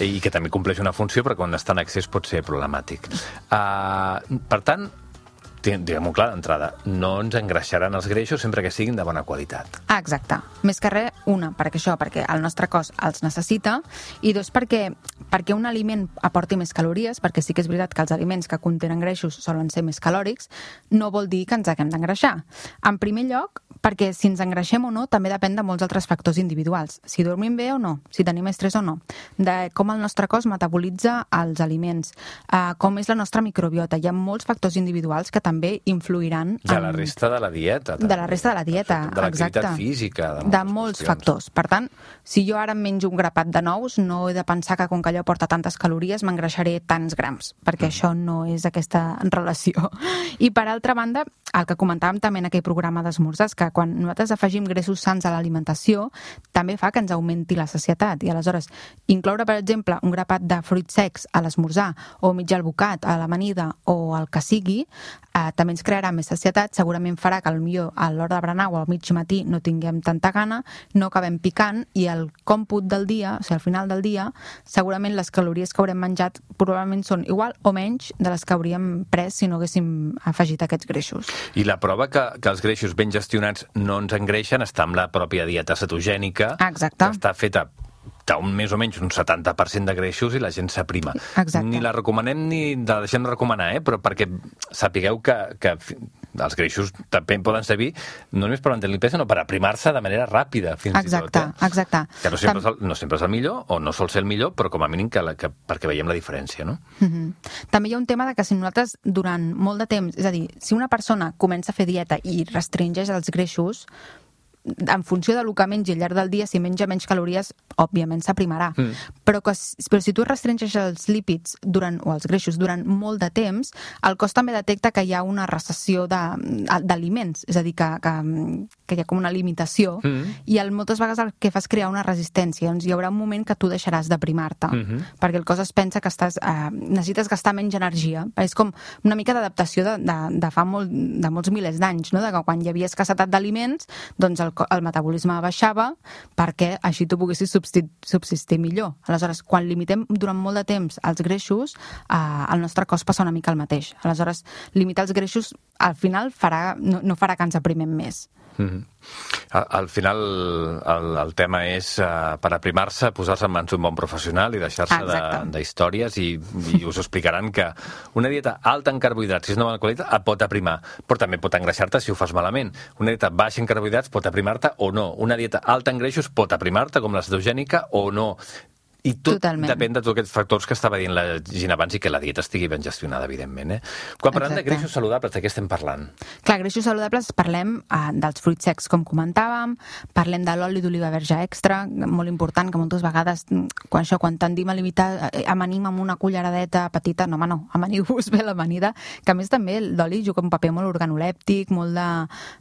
I que també compleix una funció, però quan està en excés pot ser problemàtic. Uh, per tant, diguem-ho clar d'entrada, no ens engreixaran els greixos sempre que siguin de bona qualitat. Ah, exacte. Més que res, una, perquè això, perquè el nostre cos els necessita, i dos, perquè, perquè un aliment aporti més calories, perquè sí que és veritat que els aliments que contenen greixos solen ser més calòrics, no vol dir que ens haguem d'engreixar. En primer lloc, perquè si ens engreixem o no també depèn de molts altres factors individuals. Si dormim bé o no, si tenim estrès o no, de com el nostre cos metabolitza els aliments, uh, com és la nostra microbiota. Hi ha molts factors individuals que també influiran... De en... la resta de la dieta. També. De la resta de la dieta, de l'activitat exacte. física. De, de molts factors. Per tant, si jo ara em menjo un grapat de nous, no he de pensar que com que allò porta tantes calories m'engreixaré tants grams, perquè mm. això no és aquesta relació. I per altra banda, el que comentàvem també en aquell programa d'esmorzars, que quan nosaltres afegim greixos sans a l'alimentació, també fa que ens augmenti la sacietat. I aleshores, incloure, per exemple, un grapat de fruits secs a l'esmorzar, o mig albocat a l'amanida, o el que sigui, eh, també ens crearà més sacietat, segurament farà que potser a l'hora de berenar o al mig matí no tinguem tanta gana, no acabem picant, i el còmput del dia, o sigui, al final del dia, segurament les calories que haurem menjat probablement són igual o menys de les que hauríem pres si no haguéssim afegit aquests greixos. I la prova que, que els greixos ben gestionats no ens engreixen està amb la pròpia dieta cetogènica. Exacte. Que està feta un més o menys un setanta per cent de greixos i la gent s'aprima. Exacte. Ni la recomanem ni la deixem recomanar, eh? Però perquè sapigueu que, que els greixos també poden servir no només per mantenir el pes, sinó per aprimar-se de manera ràpida, fins exacte, i tot. Eh? Exacte. Que no sempre, Tam... és el, no sempre és el millor, o no sol ser el millor, però com a mínim que, la, que perquè veiem la diferència, no? Mm-hmm. També hi ha un tema de que si nosaltres durant molt de temps, és a dir, si una persona comença a fer dieta i restringeix els greixos, en funció del que mengi al llarg del dia, si menja menys calories, òbviament s'aprimarà. Mm. Però, que, però si tu restringeix els lípids durant, o els greixos durant molt de temps, el cos també detecta que hi ha una recessió d'aliments, és a dir, que, que, que hi ha com una limitació, mm. i el, moltes vegades el que fa és crear una resistència. Doncs hi haurà un moment que tu deixaràs d'aprimar-te, mm-hmm. perquè el cos es pensa que estàs, eh, necessites gastar menys energia. És com una mica d'adaptació de, de, de fa molt, de molts milers d'anys, no? De que quan hi havia escassetat d'aliments, doncs el el metabolisme baixava perquè així tu poguessis subsistir, subsistir millor. Aleshores, quan limitem durant molt de temps els greixos, eh, el nostre cos passa una mica el mateix. Aleshores, limitar els greixos al final farà, no, no farà que ens aprimem més. Mm-hmm. Al, al final el, el tema és uh, per aprimar-se, posar-se en mans d'un bon professional i deixar-se d'històries i, i us explicaran que una dieta alta en carbohidrats, si és una bona qualitat, et pot aprimar, però també pot engreixar-te si ho fas malament. Una dieta baixa en carbohidrats pot aprimar-te o no. Una dieta alta en greixos pot aprimar-te, com la cetogènica, o no. I tot Totalment. Depèn de tots aquests factors que estava dient la Gina abans i que la dieta estigui ben gestionada, evidentment. Eh? Quan parlem Exacte. De greixos saludables, de què estem parlant? Clar, greixos saludables parlem eh, dels fruits secs, com comentàvem, parlem de l'oli d'oliva verge extra, molt important, que moltes vegades, quan això, quan tendim a limitar, eh, amanim amb una culleradeta petita, no, home, no, amaniu-vos bé l'amanida, que a més també l'oli juga un paper molt organolèptic, molt de,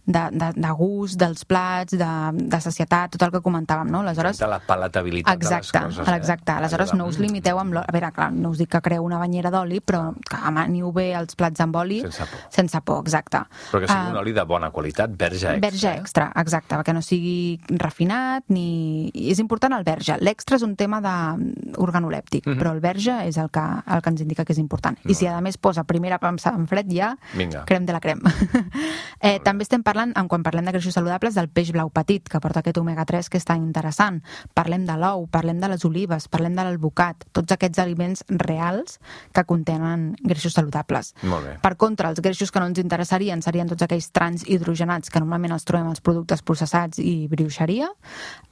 de, de, de gust dels plats, de, de sacietat, tot el que comentàvem, no? Aleshores, de la palatabilitat Exacte, de les coses. Eh? Exacte, aleshores no us limiteu amb l'oli. A veure, clar, no us dic que creu una banyera d'oli, però que amaniu bé els plats amb oli sense por. Sense por, exacte. Però que sigui uh, un oli de bona qualitat, verge extra. Verge extra, eh? Exacte, que no sigui refinat, ni... És important el verge. L'extra és un tema de organolèptic, mm-hmm. però el verge és el que, el que ens indica que és important. I si a més posa primera premsa en fred ja, Vinga. Crem de la crem. eh, també estem parlant, quan parlem de greixos saludables, del peix blau petit, que porta aquest omega tres que és tan interessant. Parlem de l'ou, parlem de les olives, parlem de l'albocat, tots aquests aliments reals que contenen greixos saludables. Molt bé. Per contra, els greixos que no ens interessarien serien tots aquells trans hidrogenats que normalment els trobem als productes processats i brioixeria.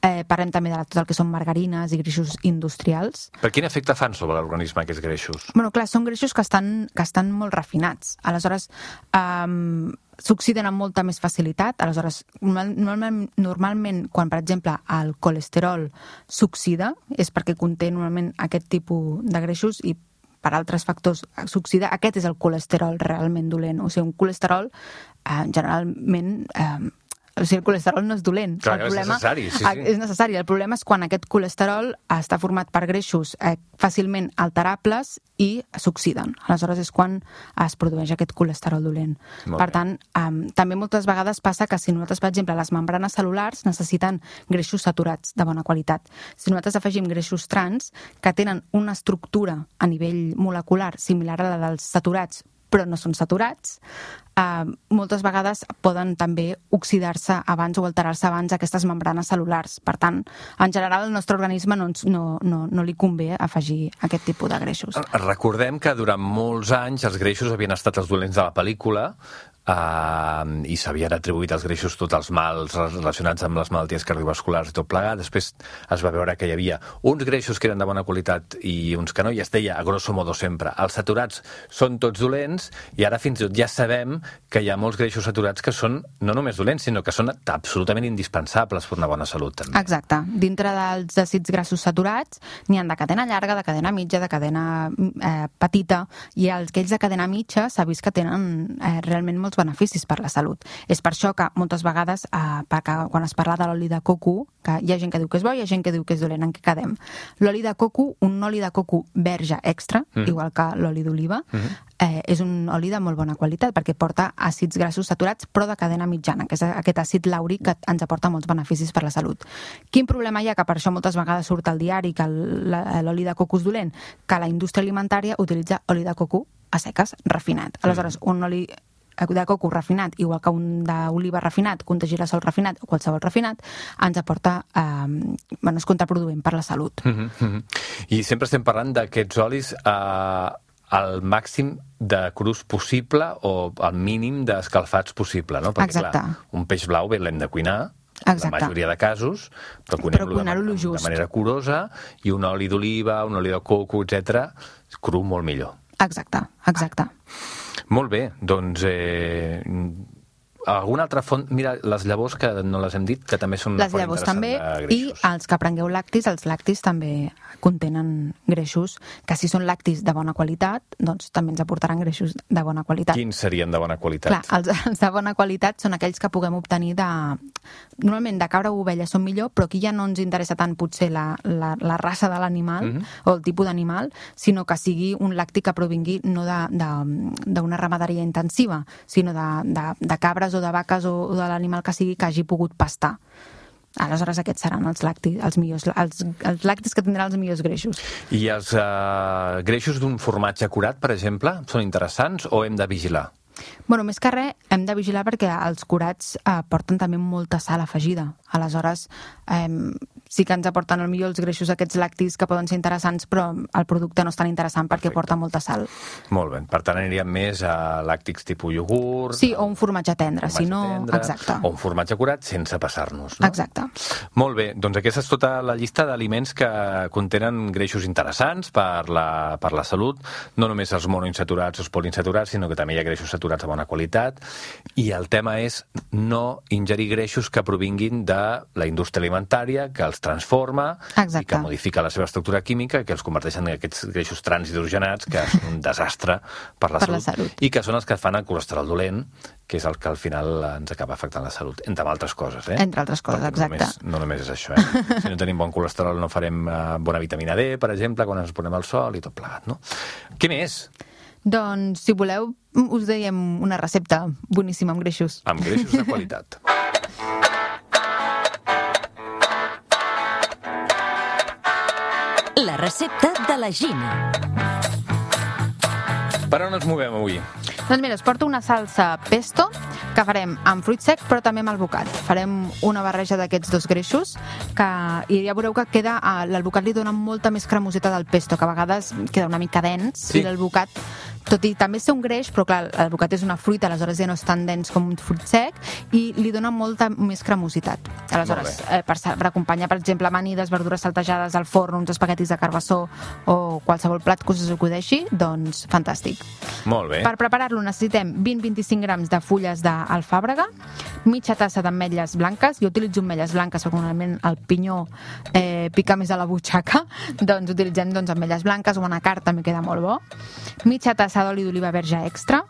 Eh, parlem també de tot el que són margarines i greixos industrials. Per quin efecte fan sobre l'organisme aquests greixos? Bueno, clar, són greixos que estan, que estan molt refinats. Aleshores, eh, s'oxiden amb molta més facilitat. Aleshores, normalment, normalment quan, per exemple, el colesterol s'oxida, és perquè conté normalment aquest tipus de greixos i per altres factors s'oxida. Aquest és el colesterol realment dolent. O sigui, un colesterol eh, generalment... Eh, o sigui, el colesterol no és dolent. Clar, el problema, és necessari, sí, sí. És necessari. El problema és quan aquest colesterol està format per greixos eh, fàcilment alterables i s'oxiden. Aleshores és quan es produeix aquest colesterol dolent. Molt per bé. tant, eh, també moltes vegades passa que si nosaltres, per exemple, les membranes cel·lulars necessiten greixos saturats de bona qualitat. Si nosaltres afegim greixos trans que tenen una estructura a nivell molecular similar a la dels saturats, però no són saturats, eh, moltes vegades poden també oxidar-se abans o alterar-se abans aquestes membranes cel·lulars. Per tant, en general, al nostre organisme no, ens, no, no, no li convé afegir aquest tipus de greixos. Recordem que durant molts anys els greixos havien estat els dolents de la pel·lícula, Uh, i s'havien atribuït als greixos tots els mals relacionats amb les malalties cardiovasculars i tot plegat. Després es va veure que hi havia uns greixos que eren de bona qualitat i uns que no, i es deia, a grosso modo sempre, els saturats són tots dolents, i ara fins i tot ja sabem que hi ha molts greixos saturats que són no només dolents, sinó que són absolutament indispensables per una bona salut, també. Exacte. Dintre dels àcids grassos saturats n'hi ha de cadena llarga, de cadena mitja, de cadena eh, petita, i els aquells de cadena mitja s'ha vist que tenen eh, realment molts beneficis per la salut. És per això que moltes vegades, eh, perquè quan es parla de l'oli de coco, que hi ha gent que diu que és bo i hi ha gent que diu que és dolent, en què quedem? L'oli de coco, un oli de coco verge extra, mm. igual que l'oli d'oliva, mm-hmm. eh, és un oli de molt bona qualitat perquè porta àcids grassos saturats però de cadena mitjana, que és aquest àcid làuric que ens aporta molts beneficis per la salut. Quin problema hi ha? Que per això moltes vegades surt al diari que l'oli de coco és dolent, que la indústria alimentària utilitza oli de coco a seques, refinat. Aleshores, un oli de coco refinat, igual que un d'oliva refinat, que un de girassol refinat o qualsevol refinat, ens aporta, eh, bueno, és contraproduent per la salut. Mm-hmm, mm-hmm. I sempre estem parlant d'aquests olis eh, al màxim de crus possible o al mínim d'escalfats possible, no? Perquè, exacte. Clar, un peix blau bé l'hem de cuinar, exacte. La majoria de casos, però cuinem-lo de, de manera curosa, i un oli d'oliva, un oli de coco, etcètera, cru molt millor. Exacte, exacte. Molt bé, doncs... Eh, alguna altra font... Mira, les llavors, que no les hem dit, que també són una les font llavors interessant també, de greixos. I els que prengueu lactis, els lactis també contenen greixos, que si són lactis de bona qualitat, doncs també ens aportaran greixos de bona qualitat. Quins serien de bona qualitat? Clar, els, els de bona qualitat són aquells que puguem obtenir de... Normalment de cabra o ovella són millor, però aquí ja no ens interessa tant potser la, la, la raça de l'animal mm-hmm. o el tipus d'animal, sinó que sigui un làctic que provingui no d'una ramaderia intensiva, sinó de, de, de cabres o de vaques o, o de l'animal que sigui que hagi pogut pastar. Aleshores aquests seran els làctics, els millors, els, els làctics que tindran els millors greixos. I els uh, greixos d'un formatge curat, per exemple, són interessants o hem de vigilar? Bueno, més que res, hem de vigilar perquè els curats eh, porten també molta sal afegida. Aleshores, eh, sí que ens aporten el millor els greixos aquests làctics que poden ser interessants, però el producte no és tan interessant perquè Perfecte. Porta molta sal. Molt bé. Per tant, aniríem més a làctics tipus iogurt... Sí, o un formatge tendre, formatge si no... Tendre, exacte. O un formatge curat sense passar-nos, no? Exacte. Molt bé. Doncs aquesta és tota la llista d'aliments que contenen greixos interessants per la, per la salut. No només els monoinsaturats o els poliinsaturats, sinó que també hi ha greixos saturats de bona qualitat. I el tema és no ingerir greixos que provinguin de la indústria alimentària, que els transforma Exacte. I que modifica la seva estructura química, que els converteixen en aquests greixos transhidrogenats, que són un desastre per la, per salut, la salut, i que són els que fan el colesterol dolent, que és el que al final ens acaba afectant la salut, entre altres coses. Eh? Entre altres coses, Perquè exacte. No només, no només és això. Eh? Si no tenim bon colesterol no farem uh, bona vitamina D, per exemple, quan ens posem al sol i tot plegat, no? Què més? Doncs, si voleu, us dèiem una recepta boníssima amb greixos. Amb greixos de qualitat. La recepta de la Gina. Per on ens movem avui? Doncs mira, us porto una salsa pesto que farem amb fruit sec però també amb albocat. Farem una barreja d'aquests dos greixos que, i ja veureu que queda, l'albocat li dona molta més cremositat al pesto, que a vegades queda una mica dens, sí. I l'albocat, tot i també ser un greix, però clar, l'albocat és una fruita, aleshores ja no és tan dens com un fruit sec i li dona molta més cremositat. Aleshores, eh, per, per acompanyar, per exemple, amanides, verdures saltejades al forn, uns espaguetis de carbassó o qualsevol plat que us acudeixi, doncs fantàstic. Molt bé. Per preparar-lo necessitem vint a vint-i-cinc grams de fulles d'alfàbrega, mitja tassa d'ametlles blanques, jo utilitzo ametlles blanques perquè normalment el pinyó eh, pica més a la butxaca, doncs utilitzem doncs, ametlles blanques o anacard també queda molt bo, mitja tassa d'oli d'oliva verge extra,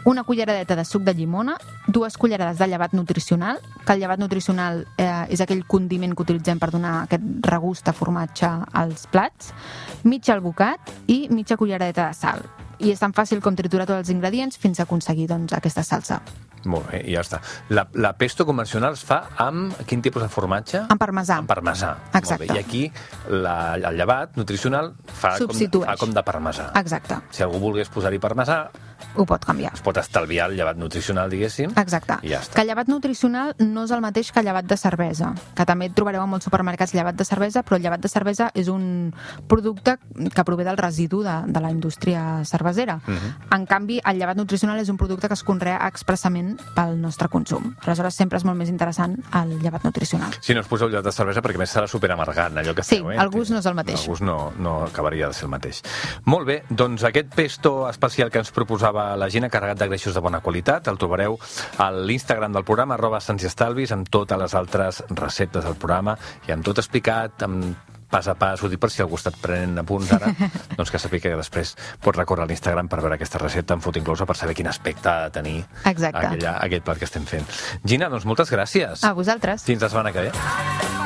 una culleradeta de suc de llimona, dues cullerades de llevat nutricional, que el llevat nutricional eh, és aquell condiment que utilitzem per donar aquest regust de formatge als plats, mitja albocat i mitja culleradeta de sal. I és tan fàcil com triturar tots els ingredients fins a aconseguir doncs, aquesta salsa. Molt bé, i ja està. La, la pesto convencional es fa amb quin tipus de formatge? Amb parmesà. Amb parmesà. Exacte. Molt bé. I aquí la, el llevat nutricional fa com, fa com de parmesà. Exacte. Si algú volgués posar-hi parmesà, ho pot canviar. Es pot estalviar el llevat nutricional, diguéssim. Exacte. I ja està. Que el llevat nutricional no és el mateix que el llevat de cervesa, que també trobareu en molts supermercats llevat de cervesa, però el llevat de cervesa és un producte que prové del residu de, de la indústria cervesera. Uh-huh. En canvi, el llevat nutricional és un producte que es conrea expressament pel nostre consum. Aleshores, sempre és molt més interessant el llevat nutricional. Si no us poseu llevat de cervesa, perquè més serà superamargant, allò que sí, feu, eh? Sí, el gust no és el mateix. El gust no, no acabaria de ser el mateix. Molt bé, doncs aquest pesto especial que ens proposava la Gina, carregat de greixos de bona qualitat, el trobareu a l'Instagram del programa, arroba Sants i Estalvis, amb totes les altres receptes del programa i amb tot explicat, amb pas a pas, ho dic per si algú està prenent apunts ara, doncs que sàpiga que després pots recórrer a l'Instagram per veure aquesta recepta en foto inclosa, per saber quin aspecte ha de tenir aquella, aquell plat que estem fent. Gina, doncs moltes gràcies. A vosaltres. Fins la setmana que ve.